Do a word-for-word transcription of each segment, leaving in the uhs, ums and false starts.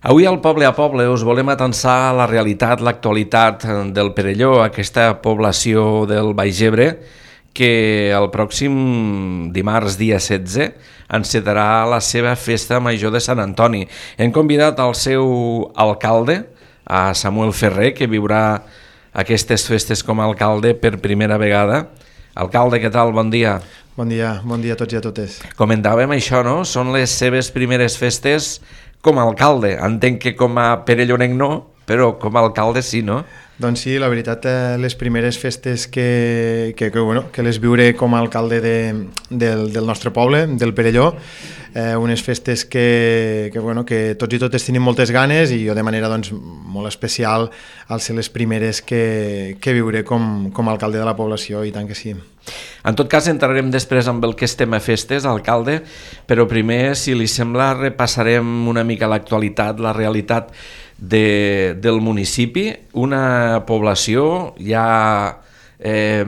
Avui al Poble a Poble us volem atensar la realitat, l'actualitat del Perelló, aquesta població del Baix Ebre, que el pròxim dimarts, dia setze, encetarà la seva festa major de Sant Antoni. Hem convidat al seu alcalde, a Samuel Ferrer, que viurà aquestes festes com a alcalde per primera vegada. Alcalde, què tal? Bon dia. Bon dia, bon dia a tots i a totes. Comentàvem això, no? Són les seves primeres festes com a alcalde. Entenc que com a perellonenc no, però com a alcalde sí, no? Doncs sí, la veritat, eh, les primeres festes que, que, que, bueno, que les viuré com a alcalde de, del, del nostre poble, del Perelló, eh, unes festes que, que, bueno, que tots i totes tenim moltes ganes i jo de manera doncs, molt especial al ser les primeres que, que viuré com, com a alcalde de la població, i tant que sí. En tot cas, entrarem després amb el que estem a festes, alcalde, però primer, si li sembla, repassarem una mica l'actualitat, la realitat de, del municipi, una població, ja eh,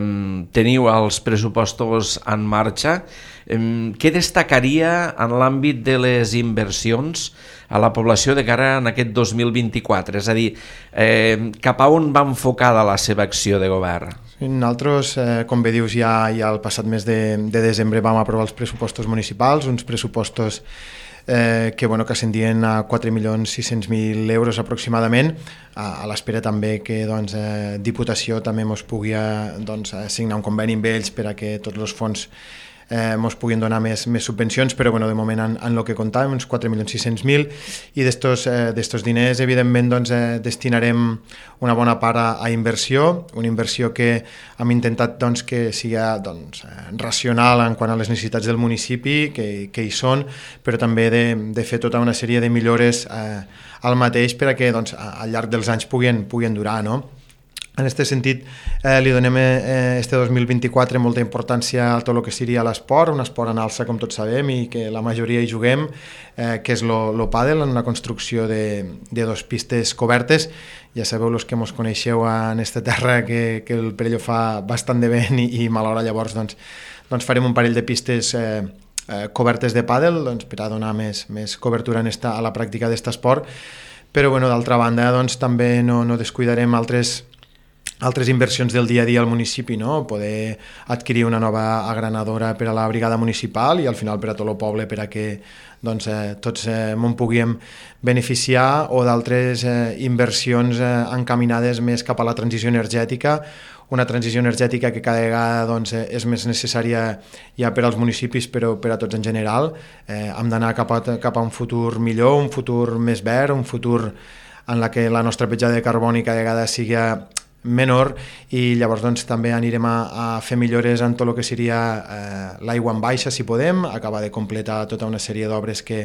teniu els pressupostos en marxa. Eh, què destacaria en l'àmbit de les inversions a la població de cara en aquest dos mil vint-i-quatre? És a dir, eh, cap a on va enfocada la seva acció de govern? Nosaltres, eh, com bé dius, ja, ja el passat mes de, de desembre vam aprovar els pressupostos municipals, uns pressupostos eh, que, bueno, que ascendien a quatre milions sis-cents mil euros aproximadament, a, a l'espera també que doncs, eh, Diputació també mos pugui eh, doncs, signar un conveni amb ells per a que tots els fons eh, mos puguin donar més, més subvencions, però bueno, de moment en, en el que comptàvem, uns quatre milions sis-cents mil, i d'estos eh, d'estos diners evidentment doncs, eh, destinarem una bona part a, a inversió, una inversió que hem intentat doncs, que sigui doncs, eh, racional en quant a les necessitats del municipi, que, que hi són, però també de, de fer tota una sèrie de millores eh, al mateix per a que doncs, al llarg dels anys puguin, puguin durar, no? En aquest sentit, eh, li donem eh, este dos mil vint-i-quatre molta importància a tot el que seria l'esport, un esport en alça, com tots sabem, i que la majoria hi juguem, eh, que és el pàdel, en una construcció de, de dos pistes cobertes. Ja sabeu, els que ens coneixeu en aquesta terra, que, que el Perelló fa bastant de vent i, i malhora, llavors doncs, doncs farem un parell de pistes eh, eh, cobertes de pàdel, doncs, per a donar més, més cobertura en esta, a la pràctica d'aquest esport. Però bueno, d'altra banda doncs, també no, no descuidarem altres altres inversions del dia a dia al municipi, no? Poder adquirir una nova agranadora per a la brigada municipal i al final per a tot el poble, per a que doncs, eh, tots eh, m'en puguem beneficiar, o d'altres eh, inversions eh, encaminades més cap a la transició energètica, una transició energètica que cada vegada doncs, és més necessària ja per als municipis, però per a tots en general. Eh, hem d'anar cap a, cap a un futur millor, un futur més verd, un futur en la que la nostra petjada de carboni cada vegada sigui menor, i llavors doncs, també anirem a, a fer millores en tot el que seria eh, l'aigua en baixa, si podem, acabar de completar tota una sèrie d'obres que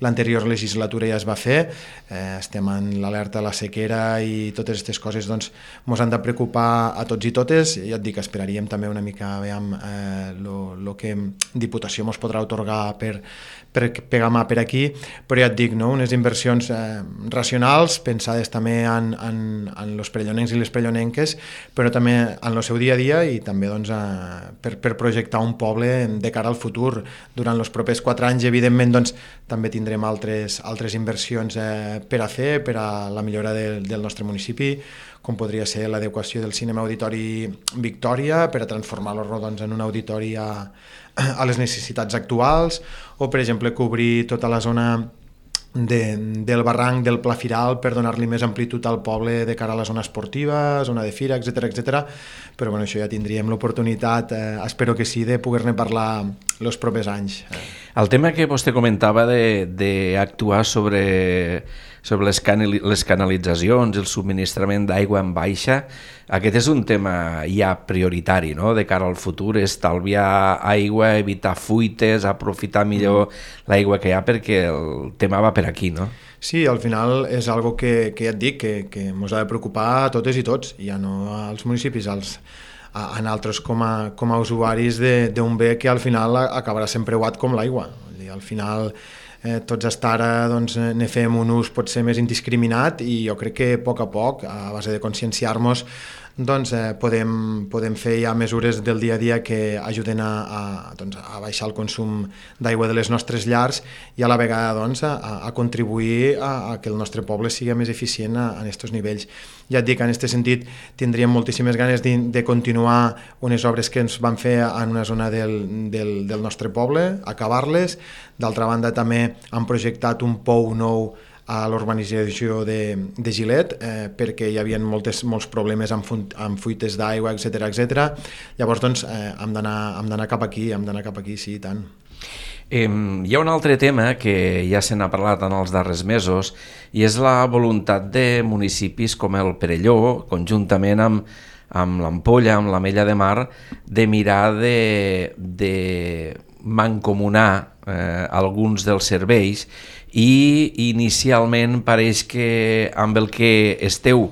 l'anterior legislatura ja es va fer. Eh, estem en l'alerta a la sequera i totes aquestes coses doncs, ens han de preocupar a tots i totes. Ja et dic, esperaríem també una mica a veure el eh, que Diputació ens podrà atorgar per, per pegar mà per aquí, però ja et dic, no? Unes inversions eh, racionals, pensades també en, en, en els perellonencs i les perellonenques, però també en el seu dia a dia, i també doncs, a, per, per projectar un poble de cara al futur. Durant els propers quatre anys, evidentment, doncs, també tindrem altres, altres inversions eh, per a fer, per a la millora de, del nostre municipi, com podria ser l'adequació del cinema auditori Victòria, per a transformar-lo doncs, en un auditori a, a les necessitats actuals, o, per exemple, cobrir tota la zona De, del barranc del Pla Firal per donar-li més amplitud al poble de cara a la zona esportiva, zona de fira, etcètera, etcètera. Però bueno, això ja tindríem l'oportunitat, eh, espero que sí, de poder-ne parlar els propers anys. El tema que vostè comentava d'actuar sobre, sobre les, canali, les canalitzacions, el subministrament d'aigua en baixa, aquest és un tema ja prioritari, no? De cara al futur, estalviar aigua, evitar fuites, aprofitar millor mm. l'aigua que hi ha, perquè el tema va per aquí, no? Sí, al final és algo que, que ja et dic, que, que ens ha de preocupar a totes i tots, ja no als municipis, als, a, a nosaltres com a, com a usuaris d'un bé que al final acabarà sent preuat com l'aigua. Al final eh, tots hasta ara doncs, ne fem un ús potser més indiscriminat, i jo crec que a poc a poc, a base de conscienciar-nos, doncs eh, podem, podem fer ja mesures del dia a dia que ajuden a, a, doncs, a baixar el consum d'aigua de les nostres llars i a la vegada doncs, a, a contribuir a, a que el nostre poble sigui més eficient a, a aquests nivells. Ja et dic, en aquest sentit tindríem moltíssimes ganes de, de continuar unes obres que ens van fer en una zona del, del, del nostre poble, acabar-les. D'altra banda també han projectat un pou nou a l'urbanització de, de Gilet, eh, perquè hi havia moltes, molts problemes amb, fu amb fuites d'aigua, etcètera etcètera. Llavors, doncs, eh, hem d'anar cap aquí, hem d'anar cap aquí, sí, i tant. Eh, hi ha un altre tema que ja se n'ha parlat en els darrers mesos i és la voluntat de municipis com el Perelló, conjuntament amb, amb l'Ampolla, amb l'Ametlla de Mar, de mirar de, de mancomunar eh, alguns dels serveis i inicialment pareix que amb el que esteu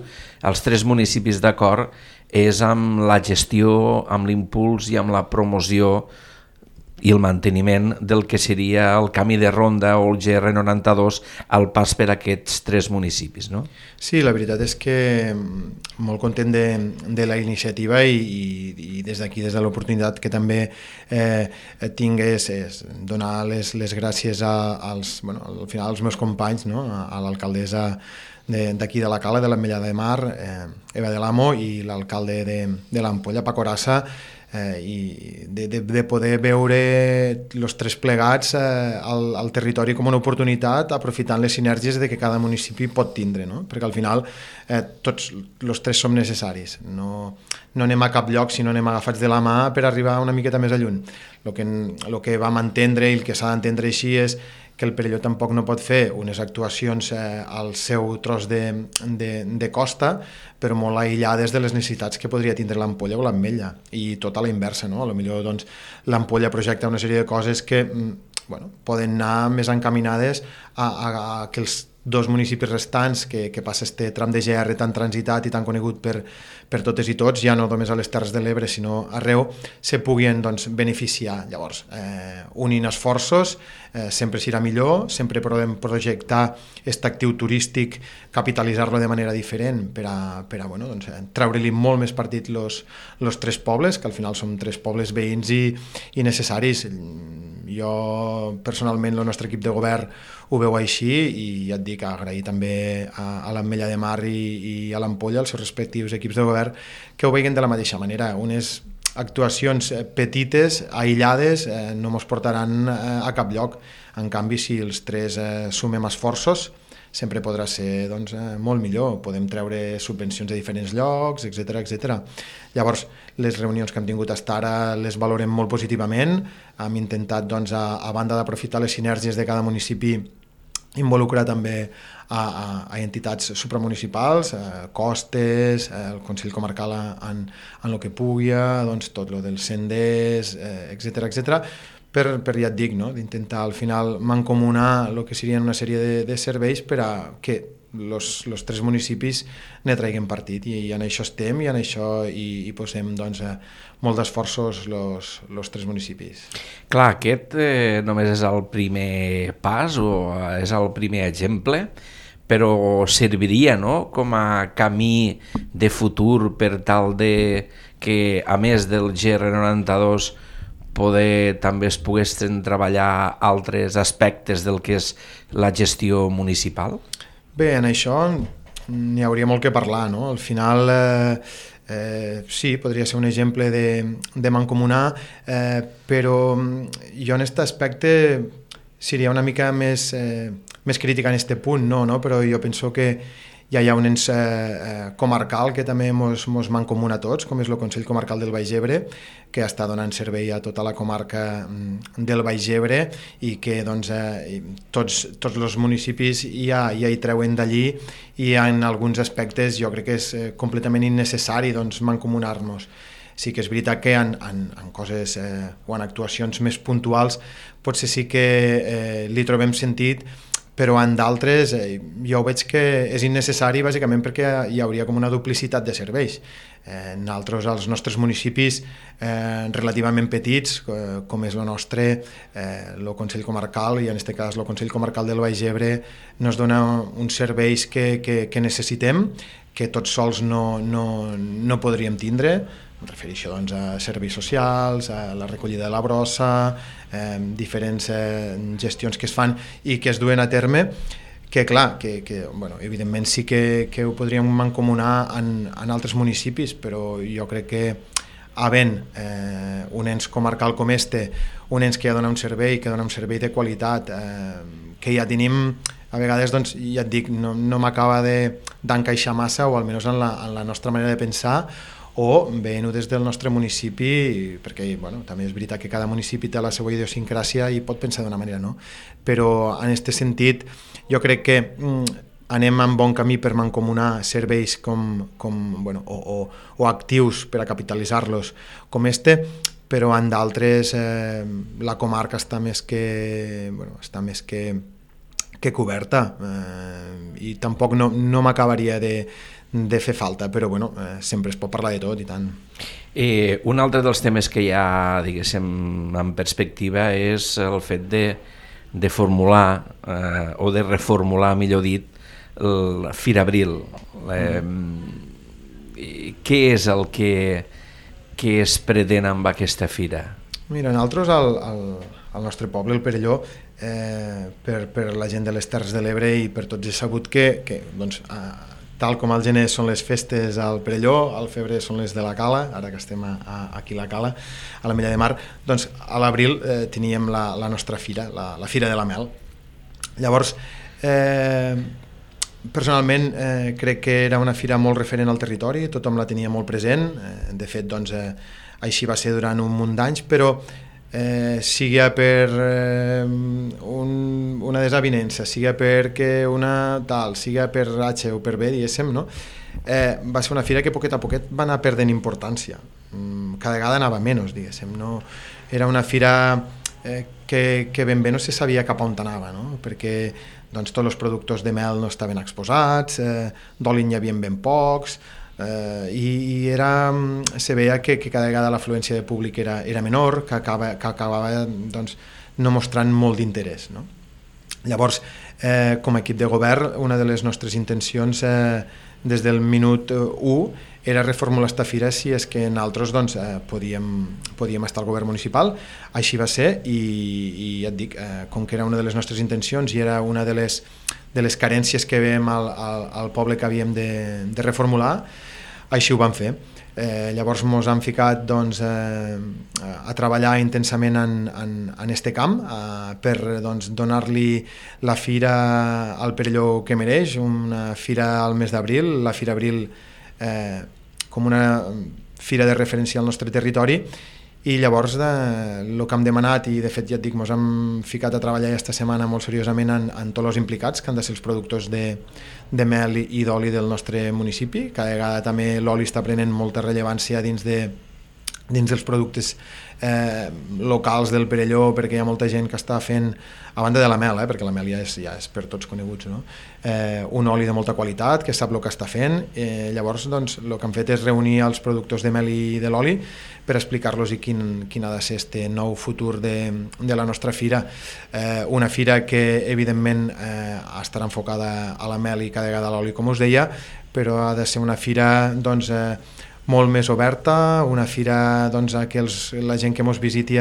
els tres municipis d'acord és amb la gestió, amb l'impuls i amb la promoció i el manteniment del que seria el camí de ronda o el G R noranta-dos al pas per aquests tres municipis, no? Sí, la veritat és que molt content de, de la iniciativa i, i, i des d'aquí, des de l'oportunitat que també eh, tinc és, és donar les, les gràcies a, als, bueno, al final als meus companys, no? a, a l'alcaldessa d'aquí de, de la Cala, de l'Ametlla de Mar, eh, Eva de l'Amo, i l'alcalde de, de l'Ampolla, Paco Rassa, eh, i de, de, de poder veure els tres plegats eh, al, al territori com una oportunitat, aprofitant les sinergies de que cada municipi pot tindre, no? Perquè al final eh, tots els tres som necessaris, no, no anem a cap lloc si no anem agafats de la mà per arribar una miqueta més a lluny. El que, el que vam entendre i el que s'ha d'entendre així és que el Perelló tampoc no pot fer unes actuacions eh, al seu tros de, de, de costa, però molt aïllades de les necessitats que podria tindre l'Ampolla o l'Ametlla, i tot a la inversa, no? A lo millor doncs, l'Ampolla projecta una sèrie de coses que bueno, poden anar més encaminades a, a, a que els dos municipis restants, que, que passa este tram de G R tan transitat i tan conegut per, per totes i tots, ja no només a les Terres de l'Ebre, sinó arreu, se puguin doncs, beneficiar. Llavors, eh, unint esforços, eh, sempre serà millor, sempre podem projectar aquest actiu turístic, capitalitzar-lo de manera diferent per a, per a bueno, doncs, treure-li molt més partit los, los tres pobles, que al final són tres pobles veïns i, i necessaris. Jo, personalment, el nostre equip de govern ho veu així i ja et dic, agrair també a, a l'Ametlla de Mar i, i a l'Ampolla, els seus respectius equips de govern, que ho veuen de la mateixa manera. Unes actuacions petites, aïllades, eh, no ens portaran eh, a cap lloc. En canvi, si els tres eh, sumem esforços, sempre podrà ser doncs, eh, molt millor. Podem treure subvencions de diferents llocs, etcètera etcètera. Llavors, les reunions que hem tingut fins ara les valorem molt positivament. Hem intentat, doncs, a, a banda d'aprofitar les sinergies de cada municipi, involucrar també a, a, a entitats supramunicipals, a Costes, el Consell Comarcal en, en el que pugui, doncs, tot lo dels senders, etcètera etcètera, per, per ja et dic, no? D'intentar al final mancomunar el que serien una sèrie de, de serveis per a que los, los tres municipis ne traiguem partit, i, i en això estem i en això hi, hi posem doncs, eh, molt d'esforços los, los tres municipis. Clar, aquest eh, només és el primer pas o és el primer exemple, però serviria, no?, com a camí de futur per tal de que, a més del G R noranta-dos, poder també es poguessin treballar altres aspectes del que és la gestió municipal? Bé, en això n'hi hauria molt que parlar, no? Al final, eh, eh, sí, podria ser un exemple de, de mancomunar, eh, però jo en aquest aspecte seria una mica més, eh, més crítica en aquest punt, no, no? Però jo penso que ja hi ha un ens eh, comarcal que també mos, mos mancomuna a tots, com és el Consell Comarcal del Baix Ebre, que està donant servei a tota la comarca del Baix Ebre i que doncs, eh, tots, tots els municipis ja, ja hi treuen d'allí, i en alguns aspectes jo crec que és eh, completament innecessari doncs, mancomunar-nos. Sí que és veritat que en, en, en coses eh, o en actuacions més puntuals potser sí que eh, li trobem sentit, però en d'altres eh, jo veig que és innecessari bàsicament perquè hi hauria com una duplicitat de serveis. Eh, nosaltres, als nostres municipis eh, relativament petits, eh, com és el nostre, eh, el Consell Comarcal, i en aquest cas el Consell Comarcal del Baix Ebre, nos dona uns serveis que, que, que necessitem, que tots sols no, no, no podríem tindre. Em refereixo doncs, a serveis socials, a la recollida de la brossa, eh, diferents eh, gestions que es fan i que es duen a terme, que clar, que, que bueno, evidentment sí que, que ho podríem mancomunar en, en altres municipis, però jo crec que havent eh, un ens comarcal com este, un ens que ja dona un servei, que dona un servei de qualitat, eh, que ja tenim, a vegades, doncs, ja et dic, no, no m'acaba d'encaixar massa, o almenys en la, en la nostra manera de pensar, o veient-ho des del nostre municipi, perquè bueno, també és veritat que cada municipi té la seva idiosincràsia i pot pensar d'una manera, no? Però en aquest sentit jo crec que mm, anem en bon camí per mancomunar serveis com, com, bueno, o, o, o actius per a capitalitzar-los com este, però en d'altres eh, la comarca està més que, bueno, està més que, que coberta, eh, i tampoc no, no m'acabaria de de fer falta, però bueno, eh, sempre es pot parlar de tot i tant. Eh, un altre dels temes que hi ha, diguéssim, en perspectiva és el fet de, de formular eh, o de reformular, millor dit, el Fira Abril. Eh, mm. Què és el que, que es pretén amb aquesta fira? Mira, nosaltres al, al, al nostre poble, el Perelló, eh, per, per la gent de les Terres de l'Ebre i per tots és sabut que, que doncs, eh, tal com al gener són les festes al Perelló, al febrer són les de la Cala, ara que estem a, a, aquí a la Cala, a la Mella de Mar, doncs a l'abril eh, teníem la, la nostra fira, la, la Fira de la Mel. Llavors, eh, personalment eh, crec que era una fira molt referent al territori, tothom la tenia molt present, eh, de fet doncs, eh, així va ser durant un munt d'anys, però eh, sigui per eh, un, una desavinença, sigui perquè una tal, sigui per H o per B, diguéssim, no? eh, va ser una fira que poquet a poquet va anar perdent importància, cada vegada anava menys, diguéssim, no? Era una fira eh, que, que ben bé no se sabia cap on anava, no? Perquè doncs, tots els productors de mel no estaven exposats, eh, d'oli n'hi havia ben pocs, Uh, i, i era, se veia que, que cada vegada l'afluència de públic era, era menor, que, acaba, que acabava doncs, no mostrant molt d'interès, no? Llavors, eh, com a equip de govern, una de les nostres intencions eh, des del minut u era reformular esta fira si és que nosaltres doncs, eh, podíem, podíem estar al govern municipal. Així va ser i, i ja et dic, eh, com que era una de les nostres intencions i era una de les, de les carències que veiem al, al, al poble que havíem de, de reformular, així ho vam fer. Eh, llavors ens hem ficat doncs, eh, a treballar intensament en, en, en este camp eh, per doncs, donar-li la fira al Perelló que mereix, una fira al mes d'abril, la Fira Abril eh, com una fira de referència al nostre territori. I llavors eh, el que hem demanat, i de fet ja et dic, ens hem ficat a treballar aquesta setmana molt seriosament en, en tots els implicats, que han de ser els productors de, de mel i, i d'oli del nostre municipi. Cada vegada també l'oli està prenent molta rellevància dins, de, dins dels productes eh, locals del Perelló, perquè hi ha molta gent que està fent, a banda de la mel, eh, perquè la mel ja és, ja és per tots coneguts, no? eh, un oli de molta qualitat, que sap el que està fent. Eh, llavors doncs, el que han fet és reunir els productors de mel i de l'oli per explicar-los quin, quin ha de ser este nou futur de, de la nostra fira. Eh, una fira que evidentment eh, estarà enfocada a la mel i cada vegada a l'oli, com us deia, però ha de ser una fira doncs, eh, molt més oberta, una fira doncs, que els, la gent que ens visiti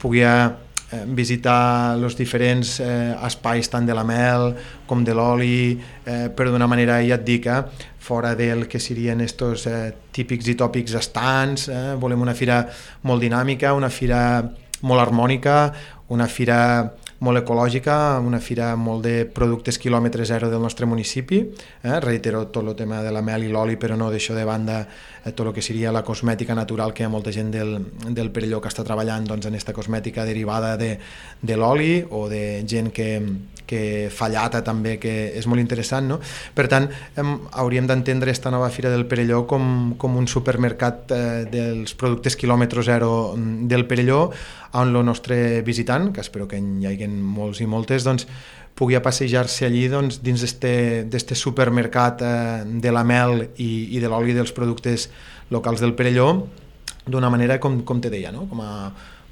pugui eh, visitar els diferents eh, espais tant de la mel com de l'oli, eh, però d'una manera, ja et dic, eh, fora del que serien estos eh, típics i tòpics estants. Eh, volem una fira molt dinàmica, una fira molt harmònica, una fira molt ecològica, una fira molt de productes quilòmetre zero del nostre municipi. Eh? Reitero tot el tema de la mel i l'oli, però no deixo de banda eh, tot el que seria la cosmètica natural, que hi ha molta gent del, del Perelló que està treballant doncs, en aquesta cosmètica derivada de, de l'oli, o de gent que, que fa llata també, que és molt interessant, no? Per tant, hem, hauríem d'entendre aquesta nova Fira del Perelló com, com un supermercat eh, dels productes quilòmetre zero del Perelló, on el nostre visitant, que espero que hi hagi molts i moltes, doncs, pugui passejar-se allí doncs, dins d'este supermercat eh, de la mel i, i de l'oli dels productes locals del Perelló, d'una manera, com, com te deia, no? Com a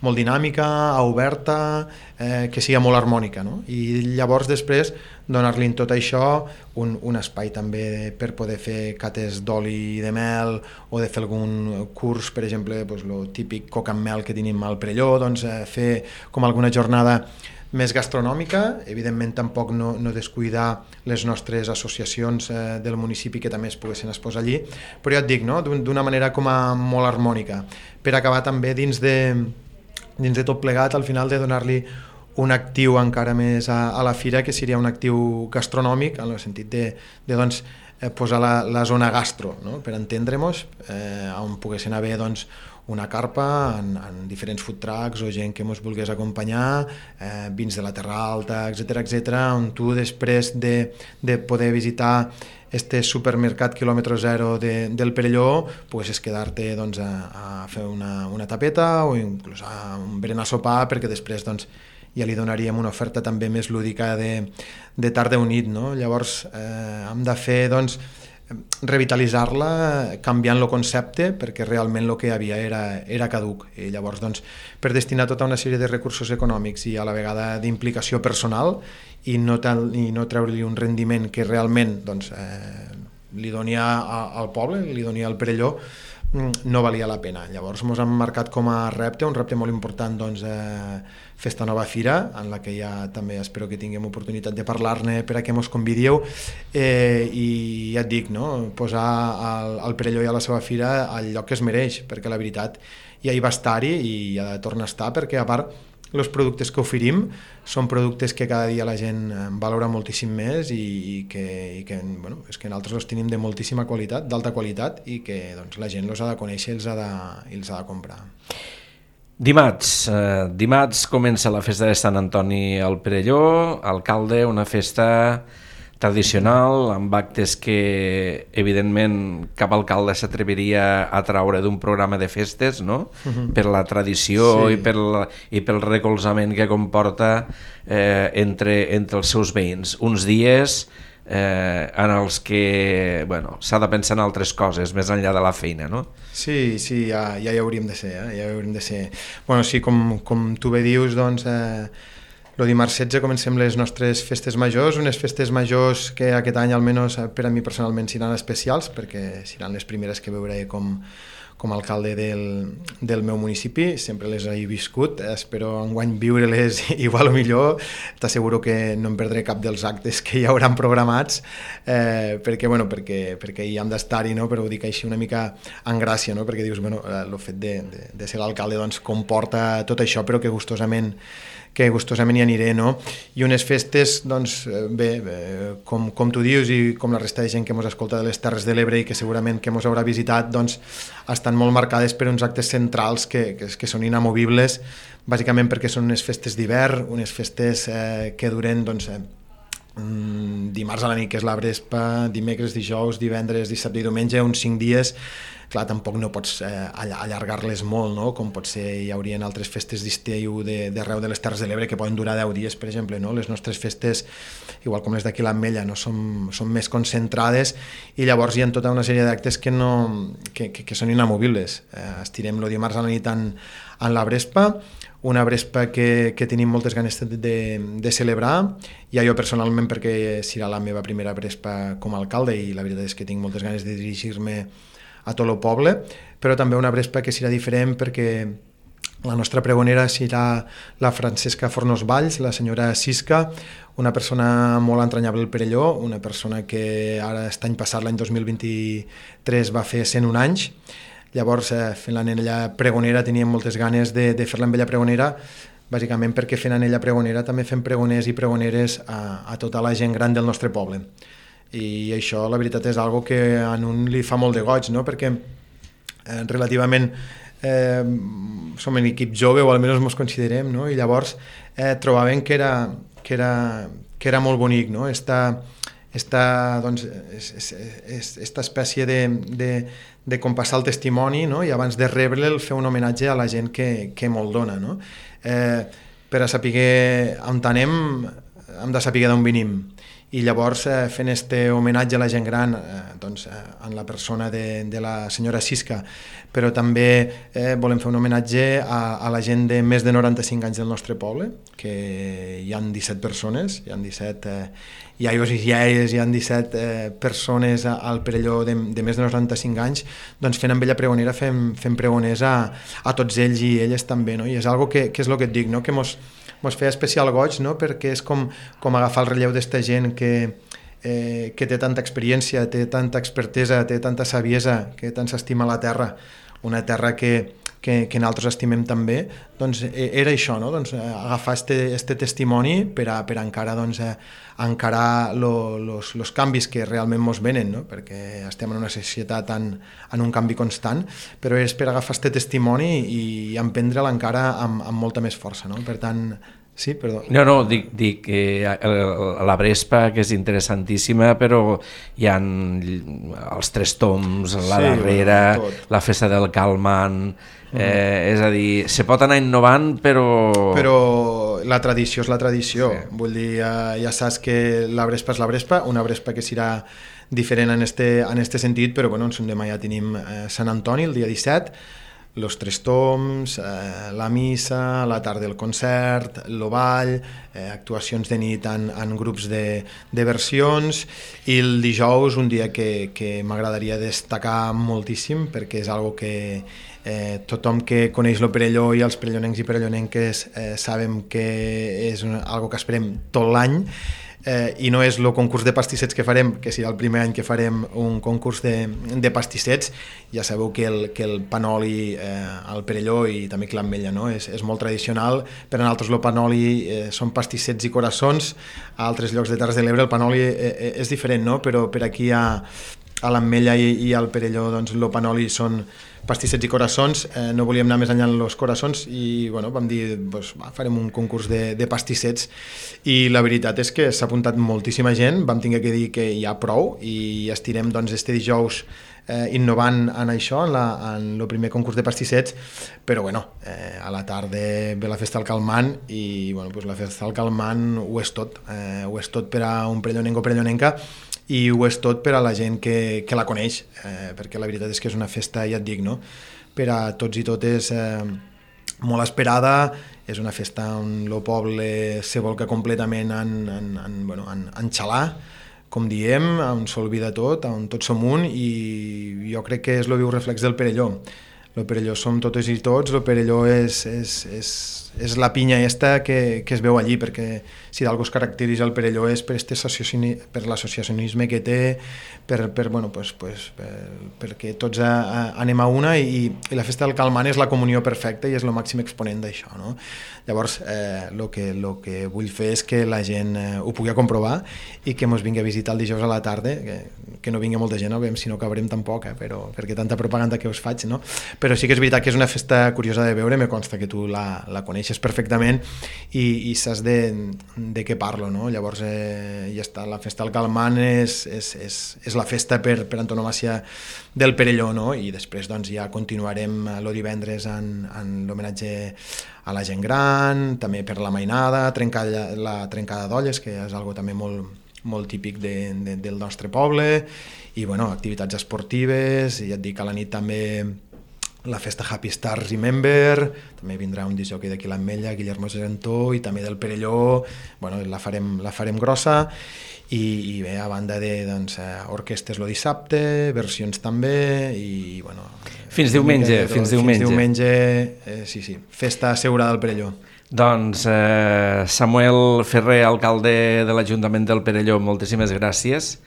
molt dinàmica, oberta, eh, que sigui molt harmònica, no? I llavors després donar-li en tot això un, un espai també per poder fer cates d'oli de mel o de fer algun curs, per exemple, doncs, el típic coc amb mel que tenim al Perelló, doncs, eh, fer com alguna jornada més gastronòmica, evidentment tampoc no, no descuidar les nostres associacions eh, del municipi que també es poguessin exposar allí, però ja et dic, no? D'una manera com a molt harmònica, per acabar també dins de, dins de tot plegat, al final de donar-li un actiu encara més a, a la fira, que seria un actiu gastronòmic, en el sentit de, de doncs, eh, posar la, la zona gastro, no? Per entendre-nos, eh, on poguessin haver doncs, una carpa en, en diferents food trucks o gent que ens volgués acompanyar, eh, vins de la Terra Alta, etcètera, etcètera, on tu després de, de poder visitar este supermercat quilòmetre zero de, del Perelló poguessis quedar-te doncs, a, a fer una, una tapeta o inclús a un berenar sopar, perquè després doncs, ja li donaríem una oferta també més lúdica de, de tarda o nit, no? Llavors eh, hem de fer doncs, revitalitzar-la canviant el concepte, perquè realment el que hi havia era, era caduc, i llavors doncs, per destinar tota una sèrie de recursos econòmics i a la vegada d'implicació personal i no, tal, i no treure-li un rendiment que realment doncs, eh, li donia al poble, li donia al Perelló, no valia la pena. Llavors ens hem marcat com a repte, un repte molt important, doncs, eh, fer esta nova fira, en la que ja també espero que tinguem oportunitat de parlar-ne per a que ens convidíeu, eh, i ja et dic, no? Posar el, el Perelló i a la seva fira al lloc que es mereix, perquè la veritat ja hi va estar-hi i ja ha de tornar a estar, perquè a part els productes que oferim són productes que cada dia la gent valora moltíssim més i, i que, i que, bueno, és que nosaltres els tenim de moltíssima qualitat, d'alta qualitat, i que doncs, la gent els ha de conèixer i els ha de, i els ha de comprar. Dimarts, eh, dimarts comença la festa de Sant Antoni al Perelló, alcalde, una festa tradicional, amb actes que evidentment cap alcalde s'atreviria a traure d'un programa de festes, no? Uh-huh. Per la tradició, sí. i, per la, i pel recolzament que comporta eh, entre, entre els seus veïns. Uns dies eh, en els que bueno, s'ha de pensar en altres coses més enllà de la feina, no? Sí, sí, ja, ja hi hauríem de ser, eh? ja hi hauríem de ser. Bueno, sí, com, com tu bé dius, doncs... Eh, el dimarts setze comencem les nostres festes majors, unes festes majors que aquest any almenys per a mi personalment seran especials, perquè seran les primeres que veuré com, com a alcalde del, del meu municipi, sempre les he viscut, espero enguany viure-les igual o millor, t'asseguro que no em perdré cap dels actes que hi hauran programats, eh, perquè, bueno, perquè, perquè hi hem d'estar-hi, no? Però ho dic així una mica en gràcia, no? Perquè dius, bueno, el fet de, de, de ser l'alcalde doncs, comporta tot això, però que gustosament que gustosament hi aniré, no? I unes festes, doncs, bé, bé com, com tu dius i com la resta de gent que mos escolta de les Terres de l'Ebre i que segurament que mos haurà visitat, doncs, estan molt marcades per uns actes centrals que, que, que són inamovibles, bàsicament perquè són unes festes d'hivern, unes festes eh, que duren, doncs, eh, dimarts a la nit, que és la Vespa, dimecres, dijous, divendres, dissabte i diumenge, uns cinc dies. Clar, tampoc no pots eh, allargar-les molt, no? Com pot ser, hi haurien altres festes d'estiu d'arreu de les Terres de l'Ebre que poden durar deu dies, per exemple, no? Les nostres festes, igual com les d'aquí a l'Ametlla, no? Són, són més concentrades i llavors hi ha tota una sèrie d'actes que, no, que, que, que són inamovibles. Eh, estirem el dimarts a la nit en, en la Vespa, una Vespa que, que tenim moltes ganes de, de, de celebrar, ja jo personalment perquè serà la meva primera Vespa com a alcalde i la veritat és que tinc moltes ganes de dirigir-me a tot el poble, però també una Vespa que serà diferent perquè la nostra pregonera serà la Francesca Fornos Valls, la senyora Sisca, una persona molt entranyable al Perelló, una persona que ara aquest any passat, l'any dos mil vint-i-tres, va fer cent un anys. Llavors, eh, fent-la en ella pregonera, teníem moltes ganes de, de fer-la amb ella pregonera, bàsicament perquè fent en ella pregonera també fem pregoners i pregoneres a, a tota la gent gran del nostre poble. I això la veritat és algo que a un li fa molt de goig, no? Perquè eh, relativament eh, som un equip jove, o almenys ens considerem, no? I llavors eh, trobàvem que era, que, era, que era molt bonic, no? Esta, esta, doncs, es, es, es, esta espècie de, de, de compassar el testimoni, no? I abans de rebre'l fer un homenatge a la gent que, que molt dona, no? Eh, per a saber on anem hem de saber d'on venim. i llavors eh, fent este homenatge a la gent gran eh, doncs, eh, en la persona de, de la senyora Sisca, però també eh, volem fer un homenatge a, a la gent de més de noranta-cinc anys del nostre poble, que hi han disset persones, hi han disset eh, iaios i iaies, hi han disset eh, persones al Perelló de, de més de noranta-cinc anys, doncs fent amb ella pregonera, fem, fem pregoners a, a tots ells i elles també, no? I és algo que, que és el que et dic, no? Que mos, mos feia especial goig, no? Perquè és com, com agafar el relleu d'esta gent que, eh, que té tanta experiència, té tanta expertesa, té tanta saviesa, que tant s'estima la terra, una terra que, que, que nosaltres estimem també, doncs era això, no? Doncs, agafar este, este testimoni per a, per a encara doncs, encarar els canvis que realment mos venen, no? Perquè estem en una societat en, en un canvi constant, però és per agafar este testimoni i emprendre'l encara amb, amb molta més força, no? Per tant, sí, perdó. No, no, dic, dic que la Brespa, que és interessantíssima, però hi ha els tres toms, la sí, darrera, tot. La festa del Calmant, eh, mm. és a dir, se pot anar innovant, però... Però la tradició és la tradició, sí. Vull dir, ja, ja saps que la Brespa és la Brespa, una Brespa que serà diferent en este, en este sentit, però bueno, en Son Demà ja tenim eh, Sant Antoni el dia disset, los tres toms, eh, la missa, la tarda del concert, el ball, eh, actuacions de nit en, en grups de, de versions, i el dijous un dia que, que m'agradaria destacar moltíssim perquè és algo que eh, tothom que coneix el Perelló i els perellonencs i perellonenques eh, sabem que és una, algo que esperem tot l'any. Eh, i no és el concurs de pastissets que farem, que serà el primer any que farem un concurs de, de pastissets. Ja sabeu que el, que el panoli eh, al Perelló i també que l'Ametlla, no? és, és molt tradicional. Per a nosaltres el panoli eh, són pastissets i coraçons, a altres llocs de Terres de l'Ebre el panoli eh, és diferent, no? Però per aquí a, a l'Ametlla i, i al Perelló doncs, el panoli són pastissets i coraçons, eh, no volíem anar més enllà en els coraçons i bueno, vam dir, doncs, va, farem un concurs de, de pastissets i la veritat és que s'ha apuntat moltíssima gent, vam tenir que dir que hi ha prou i estirem doncs, este dijous eh, innovant en això, en, la, en el primer concurs de pastissets, però bueno, eh, a la tarda ve la festa del Calmant i bueno, doncs la festa del Calmant ho és tot, eh, ho és tot per a un perellonenc o perellonenca i ho és tot per a la gent que, que la coneix, eh, perquè la veritat és que és una festa, ja et dic, no? Per a tots i totes eh, molt esperada, és una festa on el poble se volca completament en, en, en, bueno, en, en xalar, com diem, on s'olvida tot, on tots som un, i jo crec que és el viu reflex del Perelló. El Perelló som totes i tots, el Perelló és, és, és, és la pinya esta que, que es veu allí, perquè si d'algú es caracteritza el Perelló és per, este per l'associacionisme que té, per, per, bueno, pues, pues, per, perquè tots a, a, anem a una i, i la festa del Calmant és la comunió perfecta i és el màxim exponent d'això, no? Llavors, eh, el que, lo que vull fer és que la gent eh, ho pugui comprovar i que mos vingui a visitar el dijous a la tarda, que, que no vingui molta gent, no veiem si no acabarem tampoc, eh, però, perquè tanta propaganda que us faig, no? Però sí que és veritat que és una festa curiosa de veure, me consta que tu la, la coneixes perfectament i, i saps de, de què parlo, no? Llavors, eh, ja està, la festa del Calmant és, és, és, és la festa per, per antonomàcia del Perelló, no? I després doncs, ja continuarem el divendres en, en l'homenatge a la gent gran, també per la mainada, trencar, la trencada d'olles, que és algo també molt, molt típic de, de, del nostre poble, i bueno, activitats esportives, i ja et dic, a la nit també la festa Happy Stars Remember, també vindrà un disc d'aquí l'Ametlla, Guillermo Gerentó, i també del Perelló, bueno, la farem, la farem grossa, i, i bé, a banda de doncs, orquestes el dissabte, versions també, i bueno... Fins diumenge, fins diumenge. Fins diumenge, eh, sí, sí, festa assegurada al Perelló. Doncs eh, Samuel Ferrer, alcalde de l'Ajuntament del Perelló, moltíssimes gràcies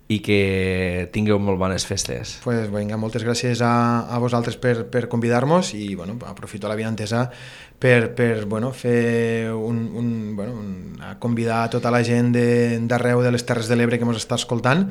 i que tingueu molt bones festes. Pues, vinga, moltes gràcies a, a vosaltres per, per convidar-nos i bueno, aprofito la vinentesa per, per bueno, fer un, un, bueno, un, a convidar a tota la gent d'arreu de, de les Terres de l'Ebre que ens està escoltant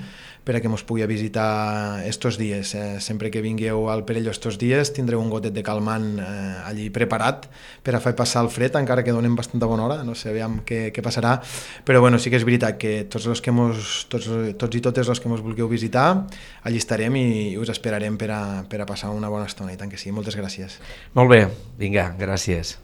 per a que ens pugui visitar estos dies. Eh, sempre que vingueu al Perelló estos dies tindreu un gotet de calmant eh, allí preparat per a fer passar el fred, encara que donem bastanta bona hora, no sé aviam què, què passarà, però bueno, sí que és veritat que tots, els que mos, tots, tots i totes els que ens vulgueu visitar, allí estarem i us esperarem per a, per a passar una bona estona, i tant que sí. Moltes gràcies. Molt bé, vinga, gràcies.